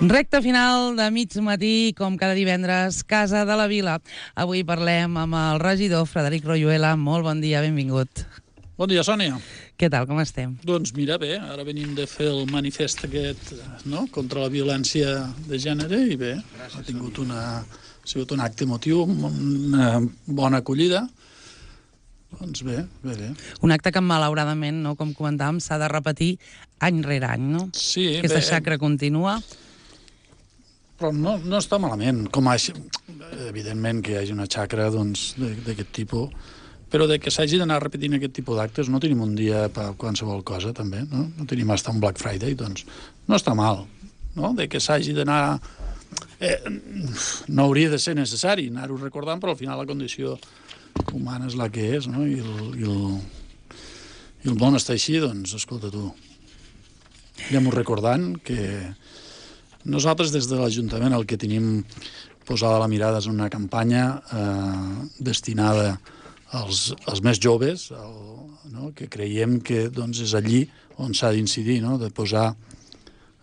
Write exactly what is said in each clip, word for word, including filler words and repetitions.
Recte final de mig matí, com cada divendres, Casa de la Vila. Avui parlem amb el regidor Frederic Royuela. Molt bon dia, benvingut. Bon dia, Sònia. Què tal, com estem? Doncs mira, bé, ara venim de fer el manifest aquest, no?, contra la violència de gènere, i bé, ha tingut una, ha sigut un acte emotiu, una bona acollida. Doncs bé, bé, bé. Un acte que, malauradament, no, com comentàvem, s'ha de repetir any rere any, no? Sí, Aquesta bé. xacra continua. Però no, no està malament. Com a, evidentment que hi hagi una xacra doncs, d'aquest tipus, però de que s'hagi d'anar repetint aquest tipus d'actes no tenim un dia per qualsevol cosa, també, no? No tenim hasta un Black Friday, doncs no està mal, no? De que s'hagi d'anar... Eh, no hauria de ser necessari anar-ho recordant, però al final la condició humana és la que és, no? I el, i el, i el món està així, doncs, escolta tu, anem-ho recordant que nosaltres des de l'Ajuntament el que tenim posada la mirada és una campanya eh, destinada als, als més joves, el, no? Que creiem que doncs, és allí on s'ha d'incidir, no? De posar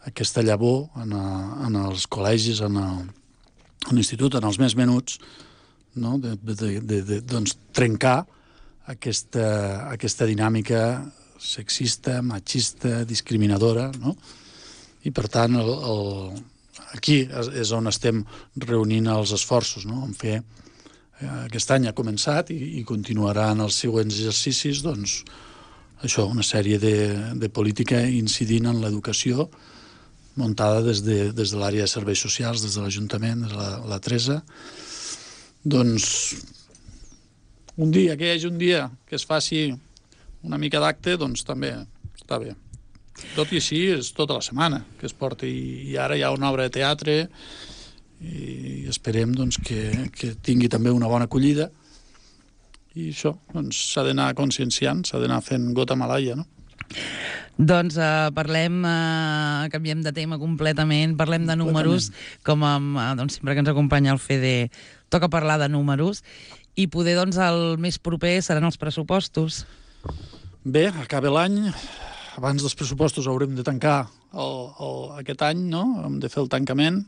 aquesta llavor en, a, en els col·legis, en, a, en l'institut, en els més menuts, no? de, de, de, de doncs, trencar aquesta, aquesta dinàmica sexista, machista, discriminadora, no? I, per tant, el, el, aquí és on estem reunint els esforços, no? En fer, eh, aquest any ha començat i, i continuarà en els següents exercicis, doncs, això, una sèrie de, de política incidint en l'educació muntada des de, des de l'àrea de serveis socials, des de l'Ajuntament, des de la, la Teresa. Doncs, un dia, que hi hagi un dia que es faci una mica d'acte, doncs també està bé. Tot i així és tota la setmana que es porta, i, i ara hi ha una obra de teatre i esperem doncs, que, que tingui també una bona acollida, i això doncs, s'ha d'anar conscienciant, s'ha d'anar fent gota malaia, no? Doncs uh, parlem, uh, canviem de tema completament, parlem de números, com amb, uh, doncs, sempre que ens acompanya el Fede toca parlar de números, i poder doncs el més proper seran els pressupostos. Bé, acaba l'any, abans dels pressupostos haurem de tancar el, el, aquest any, no? Hem de fer el tancament.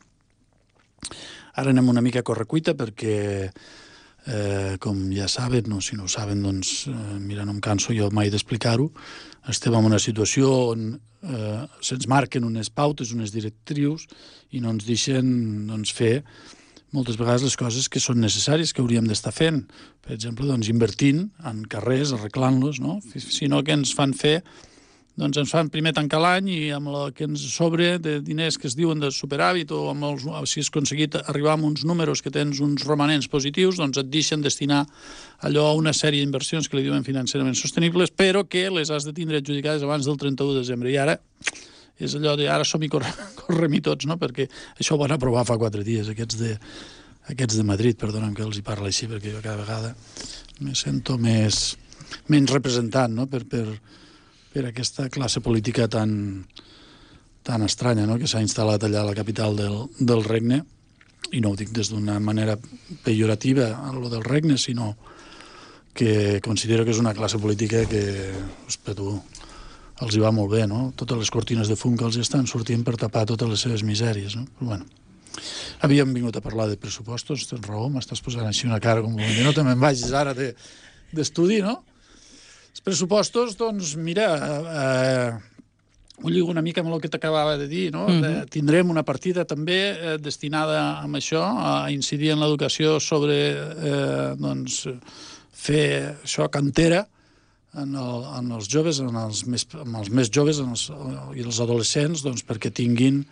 Ara anem una mica a correcuita perquè, eh, com ja saben, no, si no ho saben, doncs, eh, mira, no em canso jo mai d'explicar-ho, estem en una situació on eh, se'ns marquen unes pautes, unes directrius, i no ens deixen doncs, fer moltes vegades les coses que són necessàries, que hauríem d'estar fent. Per exemple, doncs, invertint en carrers, arreglant-los, no? Sinó que ens fan fer doncs ens fan primer tancar l'any, i amb el que ens sobre de diners que es diuen de superàvit, o amb els, si has aconseguit arribar a uns números que tens uns romanents positius, doncs et deixen destinar allò a una sèrie d'inversions que li diuen financerament sostenibles, però que les has de tindre adjudicades abans del trenta-u de desembre. I ara és allò de ara som-hi correm-hi tots, no? Perquè això ho van aprovar fa quatre dies, aquests de, aquests de Madrid, perdona'm que els hi parla així, perquè jo cada vegada me sento més, menys representant, no? Per, per, per aquesta classe política tan, tan estranya, no? Que s'ha instal·lat allà a la capital del, del regne, i no ho dic des d'una manera pejorativa a lo del regne, sinó que considero que és una classe política que, ospa, tu, els hi va molt bé, no? Totes les cortines de fum que els estan sortint per tapar totes les seves misèries, no? Però bueno, havíem vingut a parlar de pressupostos, tens raó, m'estàs posant així una cara com que no te me'n vagis ara d'estudi, no? Els pressupostos, doncs, mira, eh, ho lligo una mica amb el que t'acabava de dir, no? Mm-hmm. De, tindrem una partida també eh, destinada a això, a incidir en l'educació sobre, eh, doncs, fer això, cantera en, el, en els joves, en els més, en els més joves en els, i els adolescents, doncs, perquè tinguin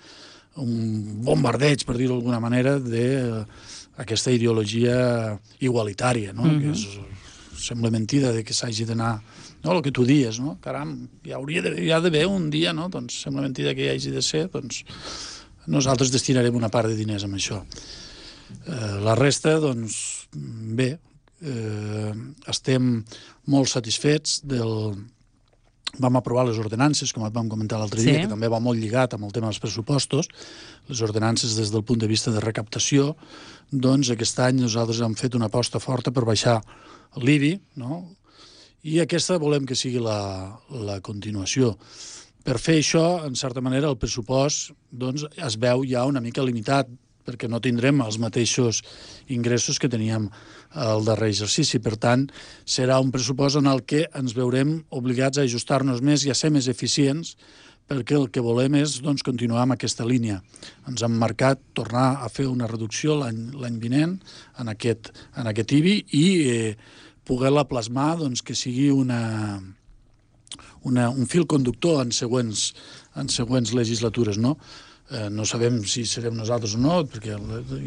un bombardeig, per dir-ho d'alguna manera, d'aquesta ideologia igualitària, no? Mm-hmm. Que és... sembla mentida de que s'hagi d'anar, no, el que tu dies, no? Caram, hi hauria de, hi ha d'haver un dia, no? Doncs sembla mentida que hi hagi de ser, doncs nosaltres destinarem una part de diners amb això. Eh, la resta, doncs, bé, eh, estem molt satisfets del... Vam aprovar les ordenances, com et vam comentar l'altre dia, sí, que també va molt lligat amb el tema dels pressupostos. Les ordenances des del punt de vista de recaptació, doncs aquest any nosaltres hem fet una aposta forta per baixar l'I B I, no? I aquesta volem que sigui la, la continuació. Per fer això, en certa manera, el pressupost doncs, es veu ja una mica limitat, perquè no tindrem els mateixos ingressos que teníem el darrer exercici. Per tant, serà un pressupost en el que ens veurem obligats a ajustar-nos més i a ser més eficients, perquè el que volem és doncs, continuar amb aquesta línia. Ens hem marcat tornar a fer una reducció l'any vinent en aquest, en aquest I B I i eh, poder-la plasmar doncs, que sigui una, una, un fil conductor en següents, en següents legislatures, no? Eh, no sabem si serem nosaltres o no, perquè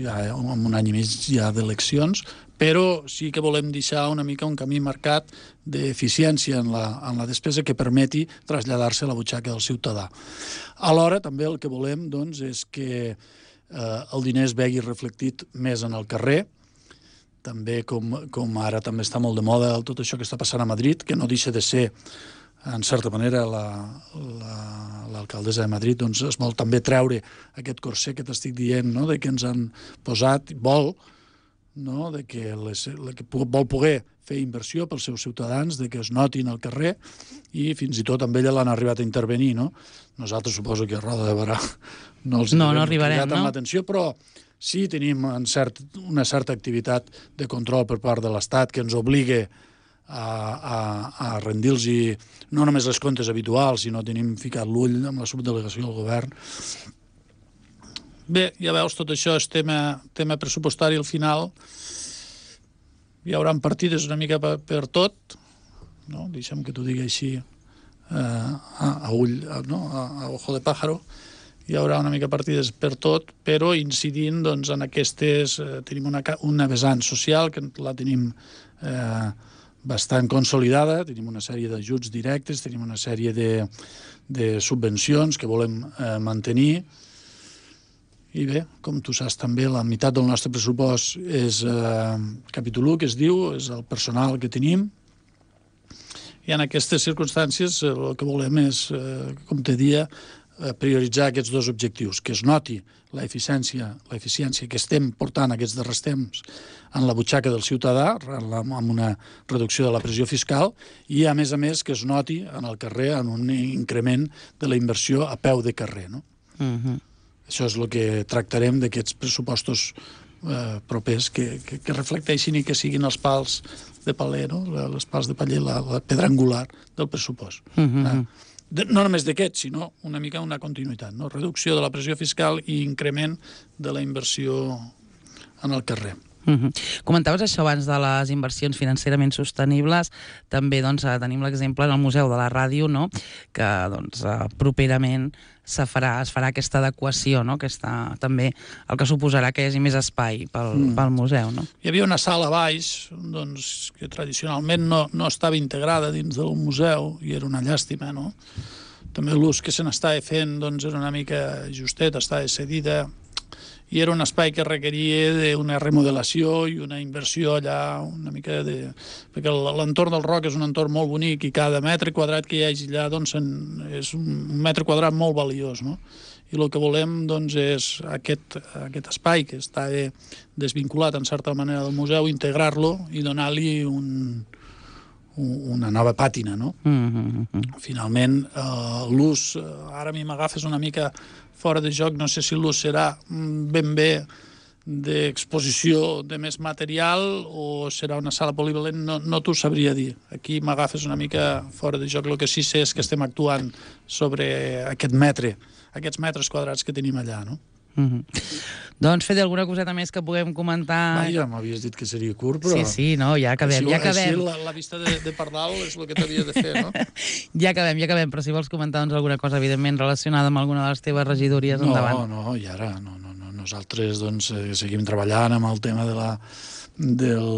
ja en un any i mig hi ha d'eleccions, però sí que volem deixar una mica un camí marcat d'eficiència en, la, en la despesa que permeti traslladar-se a la butxaca del ciutadà. Alhora, també el que volem doncs, és que eh, el diner es vegi reflectit més en el carrer, també com, com ara també està molt de moda tot això que està passant a Madrid, que no deixa de ser en certa manera, l'alcaldessa la, la, de Madrid doncs, es vol també treure aquest corset que t'estic dient, no? De que ens han posat, vol, no? De que, les, que vol poder fer inversió pels seus ciutadans, de que es notin al carrer, i fins i tot amb ella l'han arribat a intervenir, no? Nosaltres suposo que a Roda de Barà no els no, no arribarem, no? no? l'atenció, però sí tenim en cert, una certa activitat de control per part de l'Estat que ens obliga a, a, a rendir-los no només les comptes habituals, sinó tenim ficat l'ull amb la subdelegació del govern. Bé, ja veus, tot això és tema, tema pressupostari al final. Hi haurà partides una mica per, per tot, no? Deixa'm que t'ho digui així eh, a, a ull, a, no? a, a ojo de pájaro. Hi haurà una mica partides per tot, però incidint doncs, en aquestes... Eh, tenim una, una vessant social que la tenim eh, bastant consolidada, tenim una sèrie d'ajuts directes, tenim una sèrie de, de subvencions que volem eh, mantenir. I bé, com tu saps també, la meitat del nostre pressupost és eh, capítol u, que es diu, és el personal que tenim. I en aquestes circumstàncies eh, el que volem és, eh, com te dia, prioritzar aquests dos objectius, que es noti l'eficiència l'eficiència que estem portant aquests darrers temps en la butxaca del ciutadà, amb una reducció de la pressió fiscal, i a més a més que es noti en el carrer en un increment de la inversió a peu de carrer. No? Uh-huh. Això és el que tractarem d'aquests pressupostos eh, propers que, que, que reflecteixin i que siguin els pals de paller, no? Les pals de paller, la, la pedra angular del pressupost. Uh-huh. Eh? De, no només d'aquest, sinó una mica una continuïtat, no? Reducció de la pressió fiscal i increment de la inversió en el carrer. Uh-huh. Comentaves això abans de les inversions financerament sostenibles. També doncs, tenim l'exemple en el Museu de la Ràdio, no? Que doncs, properament se farà, es farà aquesta adequació, no? Que està també el que suposarà que hi hagi més espai pel, mm. pel museu. No? Hi havia una sala a baix doncs, que tradicionalment no, no estava integrada dins del museu i era una llàstima, no? També l'ús que se n'estava fent doncs, era una mica justet, estava cedida, i era un espai que requeria d'una remodelació i una inversió allà, una mica de... perquè l'entorn del Roc és un entorn molt bonic i cada metre quadrat que hi hagi allà doncs, és un metre quadrat molt valiós, no? I el que volem doncs, és aquest, aquest espai que està desvinculat en certa manera del museu, integrar-lo i donar-li un, una nova pàtina, no? Mm-hmm. Finalment, eh, l'ús, ara a mi m'agafes una mica fora de joc, no sé si l'ús serà ben bé d'exposició de més material o serà una sala polivalent, no, no t'ho sabria dir. Aquí m'agafes una mica fora de joc. El que sí sé és que estem actuant sobre aquest metre, aquests metres quadrats que tenim allà, no? Mm-hmm. Doncs, Fede, alguna coseta més que puguem comentar? Va, ja m'havies dit que seria curt, però... Sí, sí, no, ja acabem, així, ja acabem. Així la, la vista de, de Pardal és el que t'havia de fer, no? Ja acabem, ja acabem, però si vols comentar doncs, alguna cosa, evidentment, relacionada amb alguna de les teves regidories, no, endavant. No, no, i ara, no, no, no. Nosaltres doncs, eh, seguim treballant amb el tema de la, del,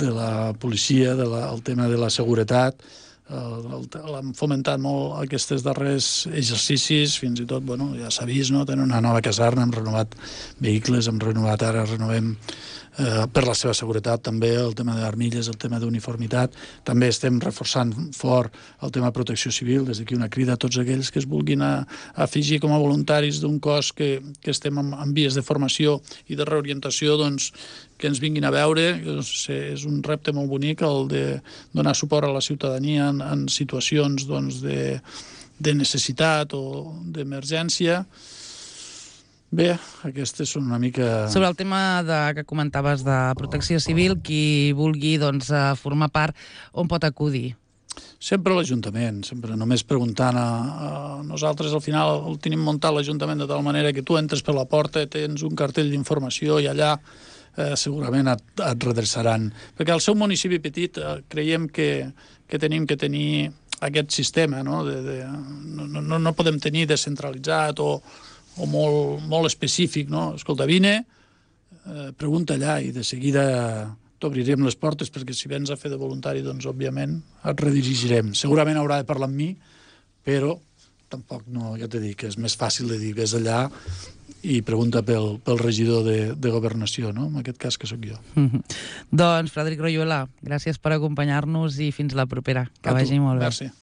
de la policia, de la, el tema de la seguretat. L'han fomentat molt aquests darrers exercicis, fins i tot, bueno, ja s'ha vist, no? Tenen una nova caserna, hem renovat vehicles, hem renovat ara, renovem eh, per la seva seguretat també, el tema d'armilles, el tema d'uniformitat. També estem reforçant fort el tema de protecció civil, des d'aquí una crida a tots aquells que es vulguin a, a afegir com a voluntaris d'un cos que, que estem en, en vies de formació i de reorientació, doncs, que ens vinguin a veure. És un repte molt bonic el de donar suport a la ciutadania en, en situacions doncs, de, de necessitat o d'emergència. Bé, aquestes són una mica... Sobre el tema de, que comentaves de protecció civil, qui vulgui doncs, formar part, on pot acudir? Sempre l'Ajuntament, sempre només preguntant a, a nosaltres. Al final el tenim muntat l'Ajuntament de tal manera que tu entres per la porta, tens un cartell d'informació i allà eh, segurament et, et redreçaran. Perquè al seu municipi petit eh, creiem que, que tenim que tenir aquest sistema, no? De, de, no, no, no podem tenir descentralitzat o o molt, molt específic, no? Escolta, vine, eh, pregunta allà i de seguida t'obrirem les portes perquè si vens a fer de voluntari, doncs, òbviament, et redirigirem. Segurament haurà de parlar amb mi, però tampoc, no, ja t'he dit, que és més fàcil de dir, vés allà i pregunta pel, pel regidor de, de Governació, no? En aquest cas que sóc jo. Mm-hmm. Doncs, Frederic Royuela, gràcies per acompanyar-nos i fins la propera. Que A tu. vagi molt bé. Merci.